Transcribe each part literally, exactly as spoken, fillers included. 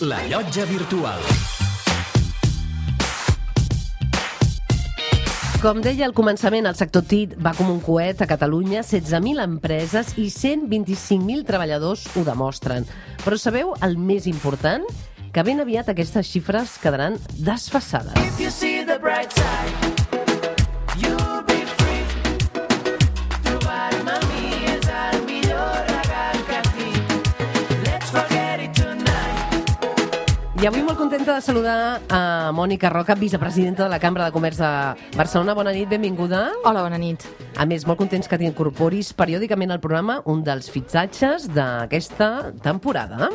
La Llotja Virtual. Com deia al començament, el sector T I C va com un coet a Catalunya, setze mil empreses i cent vint-i-cinc mil treballadors ho demostren. Però sabeu el més important? Que ben aviat aquestes xifres quedaran desfasades. If you see the bright side, you'll be free. Trobar mami és el millor regal que tinc. Let's forget it tonight. I avui molt contenta de saludar a Mònica Roca, vicepresidenta de la Cambra de Comerç de Barcelona. Bona nit, benvinguda. Hola, bona nit. A més, molt contents que t'incorporis periòdicament al programa, un dels fitxatges d'aquesta temporada.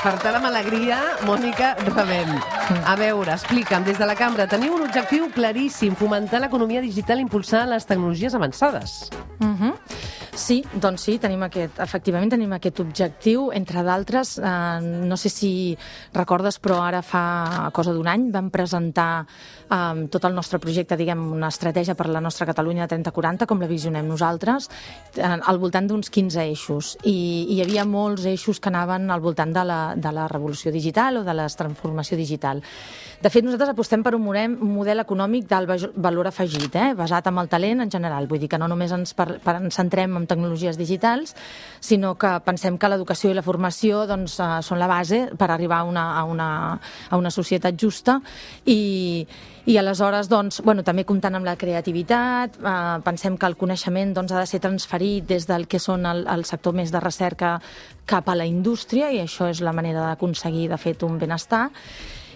Per tant, amb alegria, Mònica, rebem. A veure, explica'm, des de la Cambra teniu un objectiu claríssim, fomentar l'economia digital i impulsar les tecnologies avançades. Uh-huh. Sí, doncs sí, tenim aquest, efectivament tenim aquest objectiu, entre d'altres, eh, no sé si recordes, però ara fa cosa d'un any vam presentar eh, tot el nostre projecte, diguem, una estratègia per la nostra Catalunya trenta quaranta, com la visionem nosaltres, eh, al voltant d'uns quinze eixos, i, i hi havia molts eixos que anaven al voltant de la, de la revolució digital o de la transformació digital. De fet, nosaltres apostem per un model, un model econòmic d'alt valor afegit, eh, basat en el talent en general, vull dir que no només ens, per, per, ens centrem en tecnologies digitals, sinó que pensem que l'educació i la formació doncs, eh, són la base per arribar a una, a una, a una societat justa i, i aleshores doncs, bueno, també comptant amb la creativitat, eh, pensem que el coneixement doncs, ha de ser transferit des del que són el, el sector més de recerca cap a la indústria, i això és la manera d'aconseguir, de fet, un benestar.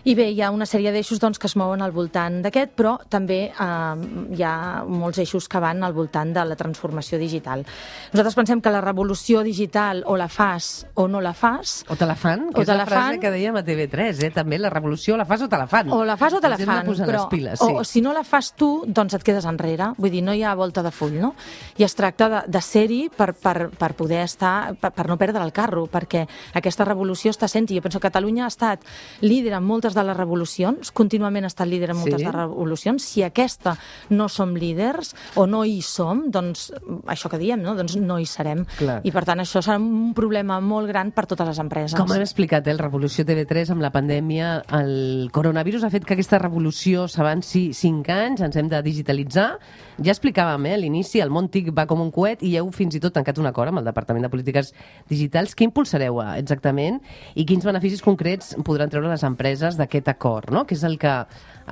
I bé, hi ha una sèrie d'eixos doncs, que es mouen al voltant d'aquest, però també eh, hi ha molts eixos que van al voltant de la transformació digital. Nosaltres pensem que la revolució digital o la fas o no la fas... O te la fan, que és la frase que dèiem a T V tres, eh? També la revolució la fas o te la fan. O la fas o te la Ens fan, hem de posar però les piles, sí. o, o si no la fas tu, doncs et quedes enrere. Vull dir, no hi ha volta de full, no? I es tracta de, de ser-hi per, per, per poder estar, per, per no perdre el carro, perquè aquesta revolució està sent, i jo penso que Catalunya ha estat líder en moltes de les revolucions, contínuament ha estat líder en moltes Sí. de revolucions. Si aquesta no som líders o no hi som, doncs això que diem, no? Doncs no hi serem. Clar. I per tant això serà un problema molt gran per totes les empreses. Com hem explicat, eh, el Revolució T V tres amb la pandèmia, el coronavirus ha fet que aquesta revolució s'avanci cinc anys, ens hem de digitalitzar. Ja explicàvem, eh, a l'inici, el món T I C va com un coet i heu fins i tot tancat un acord amb el Departament de Polítiques Digitals. Què impulsareu eh, exactament i quins beneficis concrets podran treure les empreses d'aquest acord, no? Què és el que,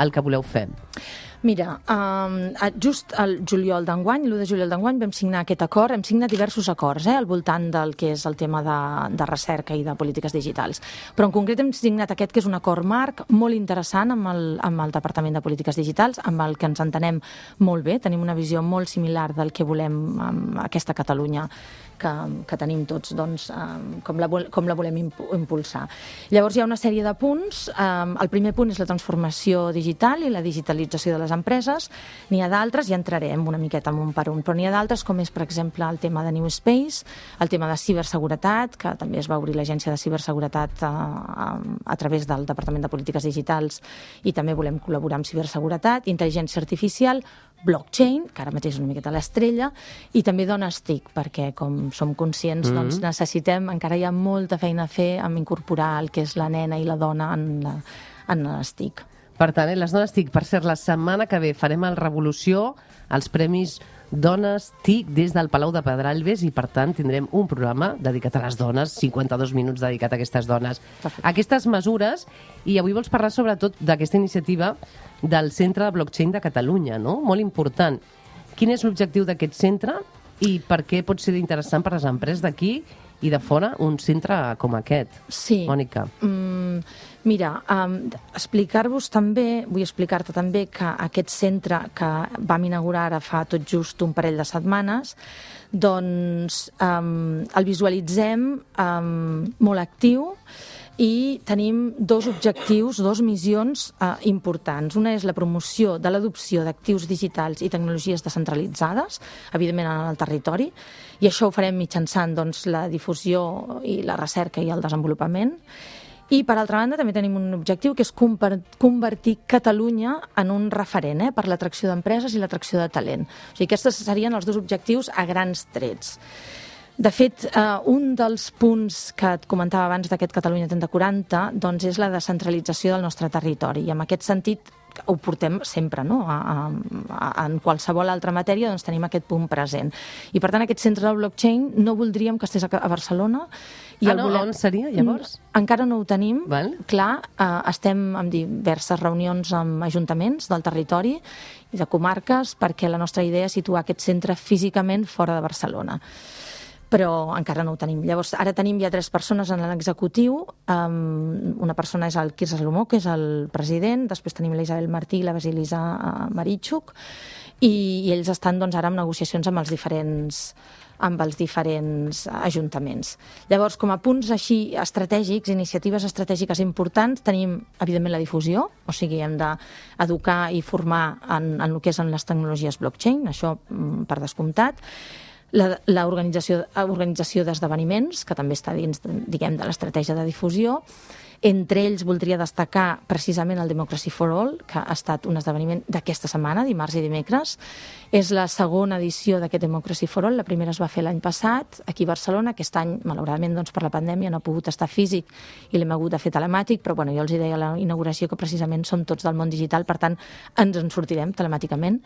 el que voleu fer? Mira, um, just el juliol d'enguany, l'u de juliol d'enguany, vam signar aquest acord. Hem signat diversos acords eh, al voltant del que és el tema de, de recerca i de polítiques digitals. Però en concret hem signat aquest, que és un acord marc molt interessant amb el, amb el Departament de Polítiques Digitals, amb el que ens entenem molt bé. Tenim una visió molt similar del que volem amb aquesta Catalunya que, que tenim tots, doncs, um, com, la, com la volem impulsar. Llavors hi ha una sèrie de punts. Um, el primer punt és la transformació digital i la digitalització de les empreses. N'hi ha d'altres, ja entrarem una miqueta en un per un, però n'hi ha d'altres, com és, per exemple, el tema de New Space, el tema de ciberseguretat, que també es va obrir l'Agència de Ciberseguretat a, a, a través del Departament de Polítiques Digitals, i també volem col·laborar amb ciberseguretat, intel·ligència artificial, blockchain, que ara mateix és una miqueta l'estrella, i també dones T I C, perquè, com som conscients, mm-hmm. doncs necessitem, encara hi ha molta feina a fer amb incorporar el que és la nena i la dona en, la, en les T I C. Per tant, eh, les dones T I C, per cert, la setmana que ve farem el Revolució, els Premis Dones T I C des del Palau de Pedralbes, i per tant tindrem un programa dedicat a les dones, cinquanta-dos minuts dedicat a aquestes dones. Perfecte. Aquestes mesures, i avui vols parlar sobretot d'aquesta iniciativa del Centre de Blockchain de Catalunya, no? Molt important. Quin és l'objectiu d'aquest centre i per què pot ser interessant per les empreses d'aquí i de fora un centre com aquest? Sí. Mònica. Mm, mira, um, explicar-vos també, vull explicar-te també que aquest centre que vam inaugurar ara fa tot just un parell de setmanes, doncs um, el visualitzem um, molt actiu, i tenim dos objectius, dos missions eh, importants. Una és la promoció de l'adopció d'actius digitals i tecnologies descentralitzades, evidentment en el territori, i això ho farem mitjançant doncs, la difusió i la recerca i el desenvolupament. I, per altra banda, també tenim un objectiu que és convertir Catalunya en un referent eh, per l'atracció d'empreses i l'atracció de talent. O sigui, aquests serien els dos objectius a grans trets. De fet, eh, un dels punts que et comentava abans d'aquest Catalunya trenta quaranta doncs és la descentralització del nostre territori. I en aquest sentit ho portem sempre, no? A, a, a, en qualsevol altra matèria doncs tenim aquest punt present. I per tant aquest centre del blockchain no voldríem que estigués a Barcelona. I ah, no? Volem... On seria, llavors? Encara no ho tenim. Val. Clar, eh, estem en diverses reunions amb ajuntaments del territori i de comarques perquè la nostra idea és situar aquest centre físicament fora de Barcelona. Però encara no ho tenim. Llavors, ara tenim ja tres persones en l'executiu. Um, una persona és el Quirze Salomó, que és el president, després tenim la Isabel Martí i la Basilisa Marichuk, i, i ells estan doncs, ara en negociacions amb els diferents amb els diferents ajuntaments. Llavors, com a punts així estratègics, iniciatives estratègiques importants, tenim, evidentment, la difusió, o sigui, hem d'educar i formar en, en el que és en les tecnologies blockchain, això per descomptat. L'organització organització d'esdeveniments, que també està dins, diguem, de l'estratègia de difusió. Entre ells voldria destacar precisament el Democracy for All, que ha estat un esdeveniment d'aquesta setmana, dimarts i dimecres. És la segona edició d'aquest Democracy for All. La primera es va fer l'any passat, aquí a Barcelona. Aquest any, malauradament, doncs, per la pandèmia no ha pogut estar físic i l'hem hagut de fer telemàtic, però bueno, jo els deia a la inauguració que precisament som tots del món digital, per tant, ens en sortirem telemàticament.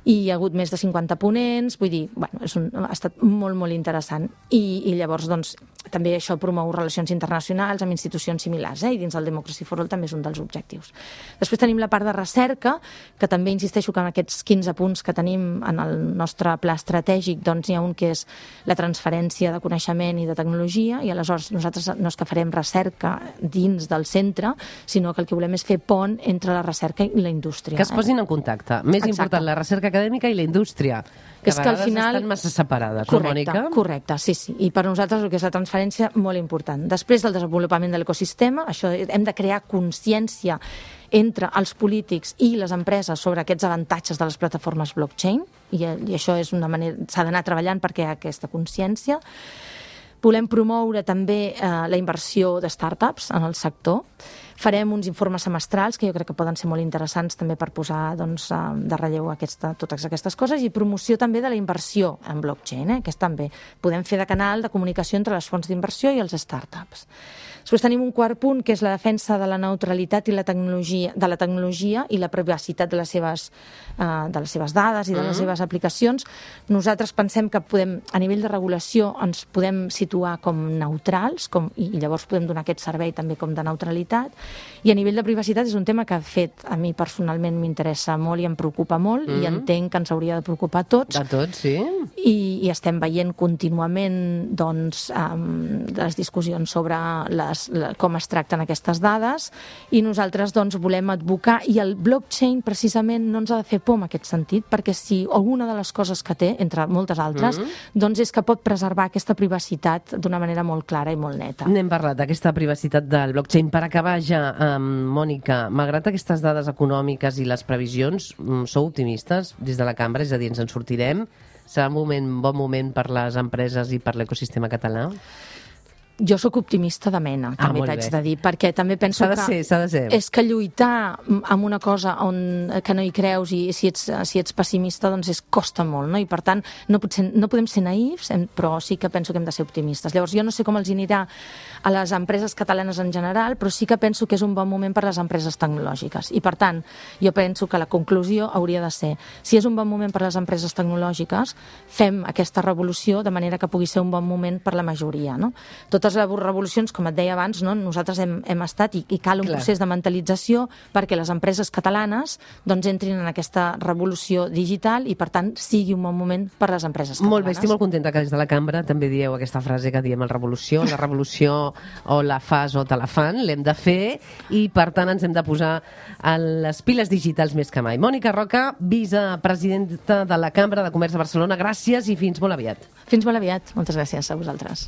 I hi ha hagut més de cinquanta ponents, vull dir, bueno, és un, ha estat molt, molt interessant. I, i llavors, doncs, també això promou relacions internacionals amb institucions similars, eh? I dins del Democracy for All també és un dels objectius. Després tenim la part de recerca, que també insisteixo que en aquests quinze punts que tenim en el nostre pla estratègic, doncs hi ha un que és la transferència de coneixement i de tecnologia, i aleshores nosaltres no és que farem recerca dins del centre, sinó que el que volem és fer pont entre la recerca i la indústria. Que es posin en contacte. Més Exacte. Important, la recerca acadèmica i la indústria, que és a que al vegades final... estan massa separades, correcte, no, Mònica? Correcte, sí, sí. I per nosaltres el que és la transferència, molt important. Després del desenvolupament de l'ecosistema, això hem de crear consciència entre els polítics i les empreses sobre aquests avantatges de les plataformes blockchain, i, i això és una manera, s'ha d'anar treballant perquè hi ha aquesta consciència. Volem promoure també eh, la inversió de startups en el sector. Farem uns informes semestrals que jo crec que poden ser molt interessants també per posar doncs, de relleu aquesta, totes aquestes coses, i promoció també de la inversió en blockchain, eh, que és també podem fer de canal de comunicació entre les fonts d'inversió i els startups. Després tenim un quart punt, que és la defensa de la neutralitat i la tecnologia, de la tecnologia i la privacitat de les seves, eh, de les seves dades i de les Mm. seves aplicacions. Nosaltres pensem que podem, a nivell de regulació, ens podem situar com neutrals, com, i llavors podem donar aquest servei també com de neutralitat. I a nivell de privacitat és un tema que, de fet, a mi personalment m'interessa molt i em preocupa molt, mm. i entenc que ens hauria de preocupar a tots. A tots, sí. I, i estem veient contínuament doncs, um, les discussions sobre les, la, com es tracten aquestes dades, i nosaltres doncs, volem advocar, i el blockchain precisament no ens ha de fer por en aquest sentit, perquè si alguna de les coses que té, entre moltes altres, mm. doncs és que pot preservar aquesta privacitat d'una manera molt clara i molt neta. N'hem parlat d'aquesta privacitat del blockchain. Per acabar ja, um, Mònica, malgrat aquestes dades econòmiques i les previsions, um, sou optimistes des de la cambra? És a dir, ens en sortirem? Serà un moment, bon moment per les empreses i per l'ecosistema català? Jo sóc optimista de mena, Ah, també molt t'haig bé. de dir, perquè també penso S'ha de que... ser, s'ha de ser. És que lluitar amb una cosa on, que no hi creus, i si ets, si ets pessimista, doncs és, costa molt, no? I per tant, no, pot ser, no podem ser naïfs, hem- però sí que penso que hem de ser optimistes. Llavors, jo no sé com els anirà a les empreses catalanes en general, però sí que penso que és un bon moment per a les empreses tecnològiques. I per tant, jo penso que la conclusió hauria de ser, si és un bon moment per a les empreses tecnològiques, fem aquesta revolució de manera que pugui ser un bon moment per la majoria, no? Totes les revolucions, com et deia abans, no? Nosaltres hem, hem estat, i, i cal un Clar. procés de mentalització perquè les empreses catalanes doncs, entrin en aquesta revolució digital i, per tant, sigui un bon moment per a les empreses catalanes. Molt bé, estic molt contenta que des de la cambra també dieu aquesta frase que diem el revolució, la revolució o la fas o te la fan, l'hem de fer, i per tant ens hem de posar a les piles digitals més que mai. Mònica Roca, vicepresidenta de la Cambra de Comerç de Barcelona, gràcies i fins molt aviat. Fins molt aviat. Moltes gràcies a vosaltres.